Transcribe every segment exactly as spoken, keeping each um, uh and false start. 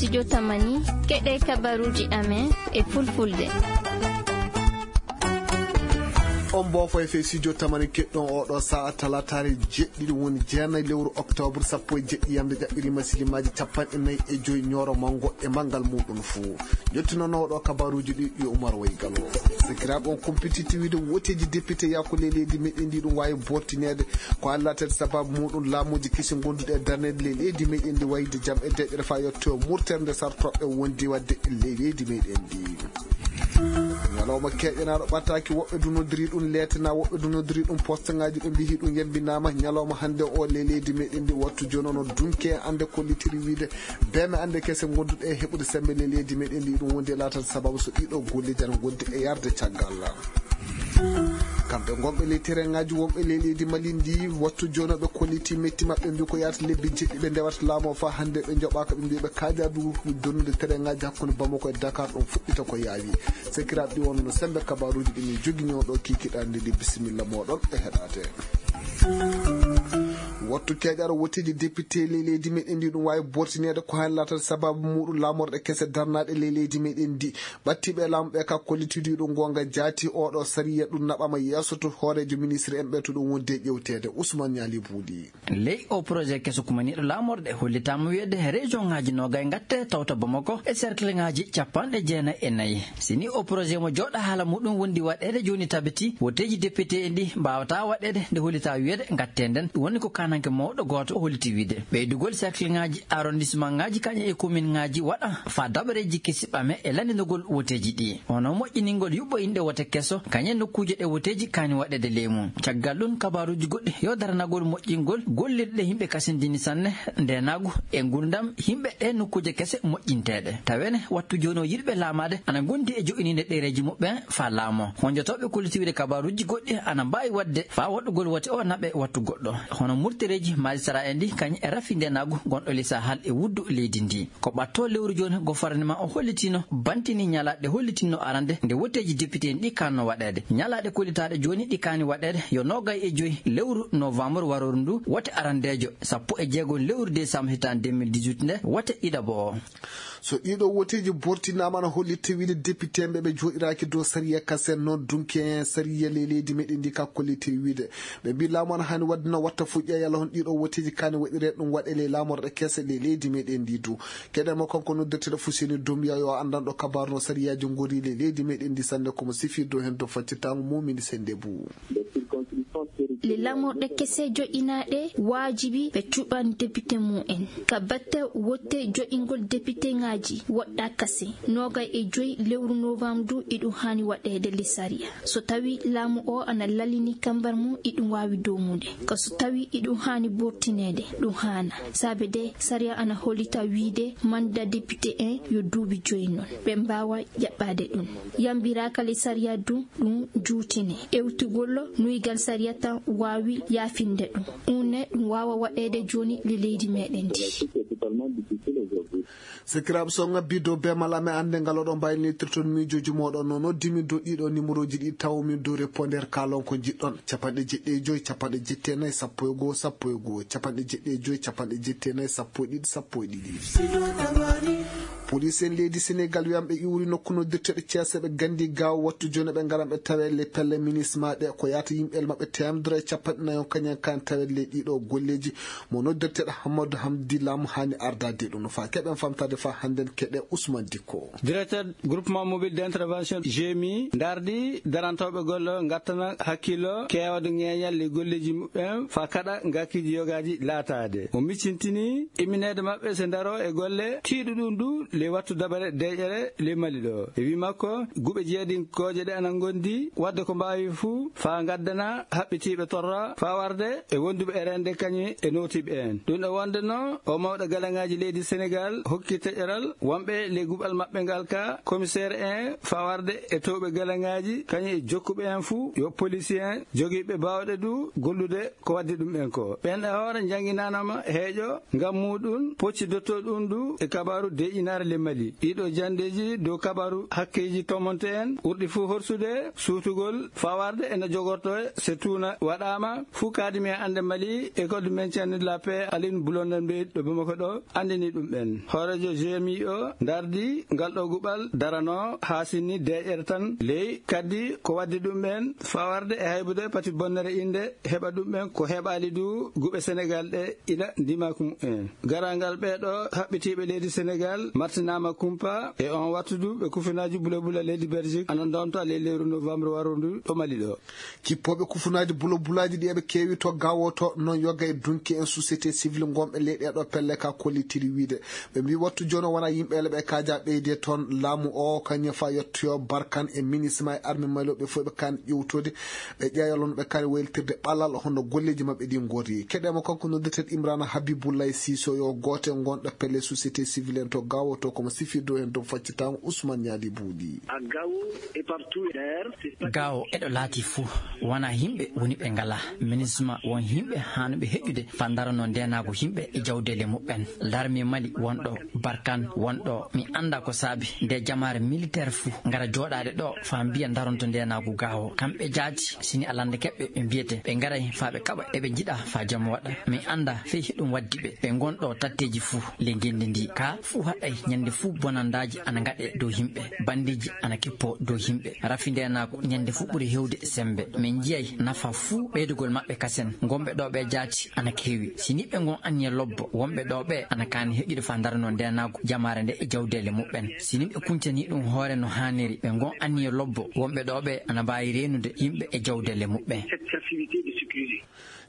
Studio Tamani, keɗe kabaruuji amen e fulfulde. On mboofo e fee studio Tamani keɗɗon oɗo sa'a talataare jeɗɗiɗi woni jeenayi lewru octobre sappo e jeɗɗi yamde jaɓɓiri masilimaaji capanɗe nayi e joyi ñooro mango e manngal muɗum fuu. Jottinono oɗo kabaruuji ɗi yo Umar Way Galo. Sakiraaɓe on kumpititi wiide woteeji député yaako ley leydi meɗen ndi ɗum waawi bortineede ko hallatede sababu muɗum laamuuji kesi gonduɗe e darneede ley leydi meɗen ndi wayde jam e deƴƴere fa yetto murtere nde sartoɓe wondi wadde ley leydi meɗen ndi. Ñalawma keƴanaaɗo ɓataaki, woɓɓe du noddiri ɗum leetana, woɓɓe du noddiri ɗum poste ngaji ɓe mbihi ɗum yembinaama. Ñalawma hannde o ley leydi meɗen ndi wattu jooni ono dunke ande kollitiri wiide beme ande kese gonduɗe e heɓude sembe ley leydi meɗen ndi ɗum wondi e laatata sababu so ɗiɗo golleji ana gondi e yarde caggal. Kamɓe gonɓe ley terengaji wonɓe ley leydi Mali ndi wattu jooni ɓe kolliti metti maɓɓe mbi ko yaata lebbi jeɗɗi ɓe ndewata laamu o fa hannde ɓe joɓaka ɓe mbi ɓe kaja du donnude terengaji hakkunde Bamako e Dakar ɗum fuɗɗita ko yaawi. Sekiraaɓe ɗi wonno sembe kabaruuji ɗi min jogini on ɗo kikiɗa ndi ndi bisimilla moɗon e heɗate. Wattu keƴaro woteji député ley leydi meɗen ndi ɗum wawi bortinede ko hen latal sababu muɗum lamorɗe kese darnaɗe ley leydi meɗen ndi. Ɓattiɓe laamu ɓe ka kollitidiɗo gonga jaati oɗo sariya ɗum naɓama yeeso to hoorejo ministre en ɓe to ɗum wonde ƴewtede Ousmane Niali Buuɗi. Ley o projet keso kumaniiɗo laamorde hollitaama wiyeede région ŋaaji noogay ngatte tawta Bamako e cercle ŋaaji capanɗe jeenayi e nayi. Si ni o projet mo jooɗa haala muɗum wondi waɗeede jooni tabiti woteeji député en ɗi mbaawata waɗeede nde hollitaa wiyeede ngatte nden ɗum woni ko kananke mawɗo gooto o holliti wiide ɓeydugol cercle ŋaaji arrondissement ŋaaji kañe e commune ŋaaji waɗa faa daɓareeji kesi ɓame e lanndinogol woteeji ɗi. Hono moƴƴiningol yuɓɓo inɗe wote keso kañe nokkuuje ɗe woteeji kaani waɗeede ley mum. Caggal ɗum kabaaruuji goɗɗi yo daranagol moƴƴingol gollirɗe yimɓe kasindini sanne ndeenaagu e nguurndam yimɓe ɗe nokkuuje kese moƴƴinteeɗe. Tawene wattu jooni o yiɗɓe laamaade ana ngondi e jo'iniinde ɗereeji muɓɓen faa laamoo. Honjotooɓe kollitiwde kabaaruuji goɗɗi ana mbaawi waɗde faa waɗugol wote o naɓe wattu goɗɗo. Hono murtereeji maajistara en ɗi kañum e rafi ndeenaagu gonɗo ley Sahal e wuddu leydi ndi. Ko ɓatto lewru jooni gouvernement o hollitino bantini ñalaaɗe hollitinno arande nde woteeji député en ɗi kanno waɗeede. Ñalaaɗe kollitaaɗe jooni ɗi kaani waɗeede yo noogay e joyi lewru novembre warooru ndu wote arandeejo, sappo e jeego lewru décembre hitaande deux mille dix-huit nde wote ɗiɗaɓo o. So ɗiɗo woteeji bortinaama ana hollitte wiide député ɓe ɓe jooɗiraaki dow sariya kasen noon dunke sariya ley leydi meɗen ndi ka kollite wiide ɓe mbi laamu ana haani waɗde no watta fuɗɗi yalla hon ɗiɗo woteeji kaani waɗire ɗum waɗe ley laamorɗe kese ley leydi meɗen ndi du. Keɗen mo kanko noddirteɗo Fuseni Dumbiya yo anndanɗo kabaru no sariyaaji ngori ley leydi meɗen ndi sanne komo sifirdo heen dow faccitaango mumini sende bu. Le lamorɗe kese joƴinaaɗe waajibi ɓe cuɓan depite mum en ka batte wotte joƴingol depite ŋaaji woɗɗa kase noogay e joyi lewru novembre du iɗum haani waɗeede le sariya. So tawi laamu o ana lalini kambar mum iɗum waawi domude. Ko so tawi iɗum haani bortineede ɗum haana. Saabe de sariya ana hollita wiide manda depite en yo duuɓi joyi noon ɓe mbaawa jaɓɓaade ɗum. Yambiraaka le sariya du ɗum juutine ewtugol nuygal sariya tan waawi yaafinde ɗum. Une ɗum waawa waɗeede jooni le leydi meɗen ndi. Sakiraaɓe so ngabbi dow bemal amen annde ngal oɗon mbaylinitirton miijooji mooɗon no noddimi dow ɗiɗo numéroji ɗi tawomin dow reponder kaalon ko njiɗɗon capanɗe jeɗɗi e joyi capanɗe jetti e nayi sappo e goo sappo e goo capanɗe jeɗɗi e joyi capanɗe jetti e nayi sappo e ɗiɗi sappo e ɗiɗi. Police en leydi Senegal wiyan ɓe iwri nokku noddirteɗo ceese ɓe gandi gaaw wattu jooni ɓe ngaran ɓe tawe le pelle minisma ɗe ko yaata yimɓel maɓɓe temedere e capanɗe nayi on kañen kan tawe le ɗiɗo golleji mo noddirteɗo Hammadou Hamdi Lam hani ardade ɗum no fa keɓen famtade fa hannden keɗe Ousmane Dikko. Directeur groupement mobile d'intervention G M I ndardi darantooɓe golle o ngattana hakkillo keewde ŋeeñal e golleji muɓɓen fa kaɗa ngakkiiji yogaaji laataade. O miccintini immineede maɓɓe so ndaro e golle tiiɗo ɗum du le wattu dabare deƴere le Mali ɗo. E wi makko guɓe jeedinkooje ɗe ana ngondi wadde ko mbaawi fuu fa ngaddana haɓɓitiiɓe torra fa warde e wonduɓe e rende kañum e nootiiɓe en. Ɗum ɗo wonde no o mawɗo galaŋaaji leydi Senegal hokki teƴeral wonɓe le guɓal maɓɓe ngal ka commissaire en fa warde e towɓe galaŋaaji kañum e jokkuɓe en fuu yo policier en jogiiɓe baawɗe du gollude ko waddi ɗum en ko. Ɓen e hoore njannginanama heeƴo ngam muɗum pocci dotto ɗum du e kabaru deƴinare. Mali. Ɗiɗo jandeeji dow kabaru hakkeeji tomonte en ɓurɗi fuu horsude suutugol fawarde ene jogorto se tuuna waɗaama fuu kaadimi e annde Mali e code maintien de la paix Aline Blondin Bey ɗo Bamako ɗo anndini ɗum ɓen. Hooreejo G M I o ndardi ngal ɗo guɓal darano haa sinni deeƴere tan ley kaddi ko waddi ɗum ɓen fawarde e haybude pati bonnere innde heɓa ɗum ɓen ko heɓaali du guɓe Senegal ɗe ila ndimaku mu'en. Garangal ɓee ɗo haɓɓitiiɓe leydi Senegal martinaama kumpa e on wattudu ɓe kufunaaji bula bula leydi Belgique ana ndonta ley lewru novembre warundu ɗo Mali ɗo. Kippooɓe kufunaaji bula bulaaji ɗi eɓe keewi to Gawo to non yoga e dunki en société civile ngonɓe ley ɗee ɗo pelle ka kollitiri wiide ɓe mbi wattu jooni wona yimɓe ele ɓe kaaja ɓeyde toon laamu o kañum fa yettoyo Barkan e minisma e arme Mali o ɓe fof ɓe kan ƴewtode ɓe ƴeeya lono ɓe kaali wayltirde ɓalal hono golleeji maɓɓe ɗi ngori. Keɗeemo kanko noddirteeɗo Imrana Habibullahi Siso yo gooto e ngonɗo pelle société civile en to Gawo to komo sifirde o heen dow faccitango Ousmane Ñaali Buuɗi. Gawo eɗo laati fuu wona yimɓe woni ɓe ngalaa minisma won yimɓe haanuɓe heƴude faa ndarano ndeenaagu yimɓe e jawdeele muɓɓen. Larmi Mali wonɗo Barkan wonɗo mi annda ko saabi nde jamaare militeer fuu ngara jooɗaade ɗo faa mbiya ndaronto ndeenaagu Gawo kamɓe jaati sini a lanndakeɓɓe ɓe mbiyete ɓe ngaray faa ɓe kaɓa eɓe njiɗa faa jam waɗa mi annda fey heɗum waddi ɓe ɓe ngonɗo tatteeji fuu ley ngenndi ndi ka fuu haɗay ñande fuu bonandaaji ana ngaɗe dow yimɓe bandiiji ana kippo dow yimɓe rafi ndeenaagu ñande fuu ɓuri hewde semmbe min njiyay nafa fuu ɓeydugol maɓɓe kasen ngonɓe ɗo ɓe jaati ana keewi si niɓɓe ngon anniya lobbo wonɓe ɗo ɓe ana kaani heƴude faa ndarano ndeenaagu jamaare nde e jawdeele muɓɓen si niɓɓe kuncani ɗum hoore no haaniri ɓe ngon anniya lobbo wonɓe ɗo ɓe ana mbaawi reenude yimɓe e jawdeele muɓɓen.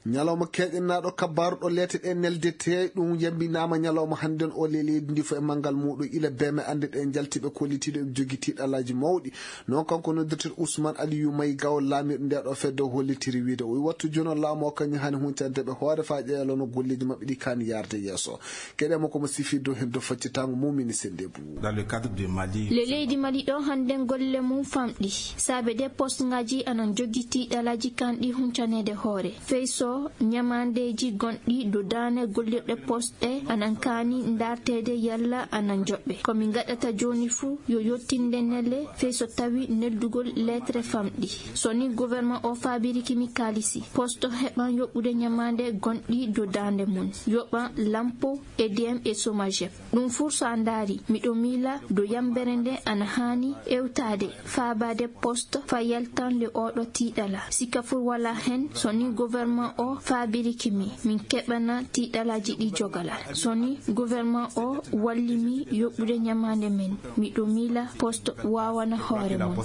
Ñalawma keeƴannaaɗo kabbaaru ɗo leete ɗe neldetee ɗum yambinaama ñalawma hannden o le leydi ndi fof e manngal muuɗum ila beeme annde ɗe njaltiiɓe kollitiiɗo eɓe jogii tiiɗalaaji mawɗi. Noon kanko noddirteeɗo Ousmane Aliou May Gawo laamirɗo nde ɗo fedde o hollitiri wiide o wi wattu jooni o laamu o kañum hani huncande ɓe hoore faa ƴeeya lono golleeji maɓɓe ɗi kaani yaarde yeeso. Keɗeemo komo sifii dow heen dow faccitango mumini sennde buu. Dans le cadre de Mali. Le leydi Mali ɗo hannden golle mum famɗi saabe de poste ngaji anan jogii tiiɗalaaji kanɗi huncaneede hoore fey so ñamaandeeji gonɗi dow daane gollirɗe poste ɗe anan kaani ndaarteede yalla anan njoɓɓe ko min ngaɗata jooni fuu yo yottinde nele fey so tawi neldugol lettre famɗi so ni gouvernement o faabiriki mi kaalisi poste heɓan yoɓɓude ñamaande gonɗi dow daande mum yoɓan lampo edm e somagep ɗum fuu so a ndaari miɗo miila dow yambere nde ana haani ewtaade faabaade poste faa yaltande oɗo tiiɗala sika fuu walaa heen so ni gouvernement o faabiriki mi min keɓana tiiɗalaaji ɗi jogala so ni gouvernement o walli mi yoɓɓude ñamaande men miɗo miila poste waawana hoore mum.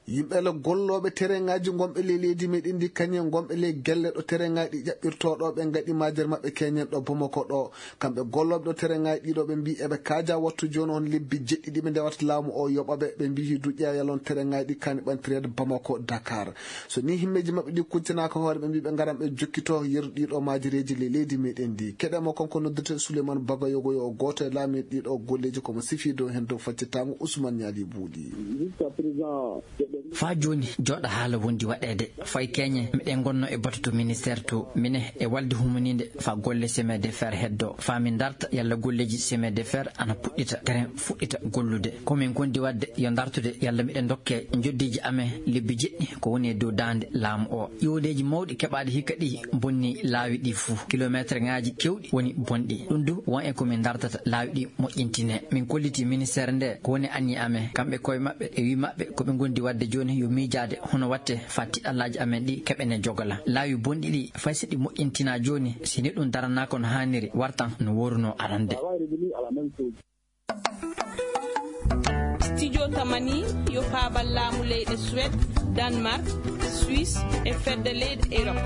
Yimɓe le gollooɓe terrain ŋaaji ngonɓe ley leydi meɗen ndi kañum e ngonɓe ley gelle ɗo terrain ŋaaji ɗi ƴaɓɓirtoo ɗo ɓe ngaɗi maajer maɓɓe keñen ɗo Bamako ɗo kamɓe gollooɓe ɗo terrain ŋaaji ɗiɗo ɓe mbi eɓe kaaja wattu jooni on lebbi jeɗɗi ɗi ɓe ndewata laamu o yoɓa ɓe ɓe mbi hidu ƴeeya lon terrain ŋaaji ɗi kani ɓantireede Bamako Dakar so ni himmeeji maɓɓe ɗi kuccanaaka hoore ɓe mbi ɓe ngaran ɓe jokkito yeru ɗiɗo maajereeji ley leydi meɗen ndi keɗeemo kanko noddirte Souleymane Bagayogo yo o gooto e laamiiɗo ɗiɗo golleeji komo sifii dow heen dow faccitango Ousmane Ñaali Buuɗi. Faa jooni jooɗa haala wondi waɗeede fay keñe miɗen ngonno e batu to ministère to mine e walde humaniinde faa golle chemin de fer heddo faa min ndarta yalla golleeji chemin de fer ana puɗɗita terrain fuɗɗita gollude ko min gondi waɗde yo ndartude yalla miɗen ndokke njoddiiji amen lebbi jeɗɗi ko woni e dow daande laamu o iwodeeji mawɗi keɓaaɗi hikka ɗi bonni laawi ɗi fuu kilometre ŋaaji kewɗi woni bonɗi ɗum du won e ko min ndartata laawi ɗi moƴƴintine min kolliti ministére nde ko woni anniya amen kamɓe koye maɓɓe e wi maɓɓe ko ɓe gondi waɗde jooni yo miijaade hono watte faa tiɗallaaji amen ɗi keɓene jogala laawi bonɗi ɗi fay so ɗi moƴƴintinaa jooni si ni ɗum daranaaka no haaniri wartan no woorunoo arande. Studio Tamani yo faabal laamu leyɗe Suède, Danemark, Suisse e fedde leyɗe Europe.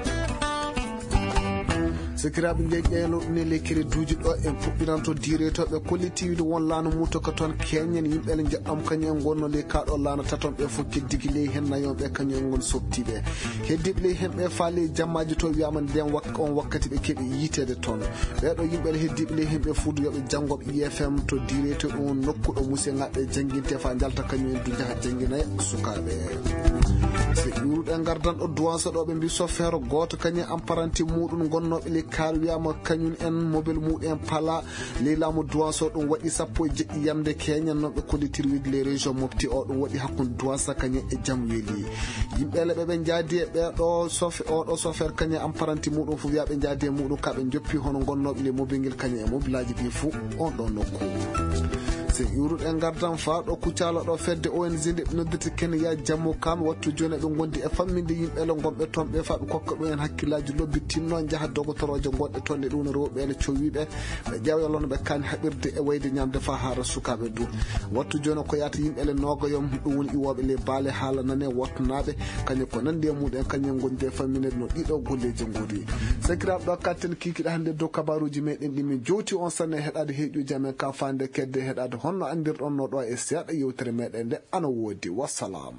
Sakiraaɓe nde ƴeeloɗen e lekkere duuji ɗo en puɗɗiranto diretooɓe kollitiiwde won laana muuto ka toon keñen yimɓe le njeɗɗom kañum en ngonno ley kaaɗo laana taton ɓe fof keddigi ley heen nayon ɓe kañum en ngon softiiɓe heddiiɓe ley heen ɓe faa ley jammaaji to wiyaama nden wak on wakkati ɓe keɓi yiiteede toon ɓeeɗo yimɓe le heddiiɓe ley heen ɓe fuudu yoɓe janngoɓe I F M to diretooɓe on nokku ɗo musiyaŋaaɓe jannginte faa njalta kañum en du njaha jannginoya sukaaɓe. So ƴuuruɗen ngardan ɗo duwanso ɗo ɓe mbi sofeero gooto kañum en apparanti muuɗum ngonnooɓe ley Dakar wiyaama kañum en mobel muɗum en pala ley laamu duwanso ɗum waɗi sappo e jeɗɗi yamde keñan noon ɓe kollitir wiide les régions mofti o ɗum waɗi hakkunde duwansa kañum e jam weeli. Yimɓe le ɓe ɓe njaadi e ɓeeɗo sofe oɗo sofer kañum e amparanti muɗum fof wiya ɓe njaadi e muɗum ka ɓe joppi hono gonnooɓe le mobil ngel kañum e mobilaaji ɗi fof on ɗo nokku. So iwruɗen ngardan faa ɗo kuccaalo ɗo fedde O N G nde ɓe noddirta Kenya Jammu kam wattu jooni ɓe ngondi e famminde yimɓe le gonɓe toon ɓe faa ɓe kokka ɗum en hakkillaaji lobbi tinno njaha dogotorooje gonɗe toon e ɗum no rewɓe le cowiiɓe ɓe ƴeewa yollono ɓe kaani haɓirde e wayde ñamde faa haara sukaaɓe du. Wattu jooni ko yahata yimɓe le noogayom ɗum woni iwooɓe le baale haala nane wattunaaɓe kañum ko nandi e muɗum kañum ngondi e famminde no ɗiɗo golleeji ngori. Sakiraaɓe ɗo katten kiikiɗe hannde dow kabaruuji meɗen ɗi min jowti on sanne heɗaade heeƴuuji amen ka faande kedde heɗaade honno anndirɗon no ɗo e seeɗa yewtere meɗen nde ana woodi. Wassalam.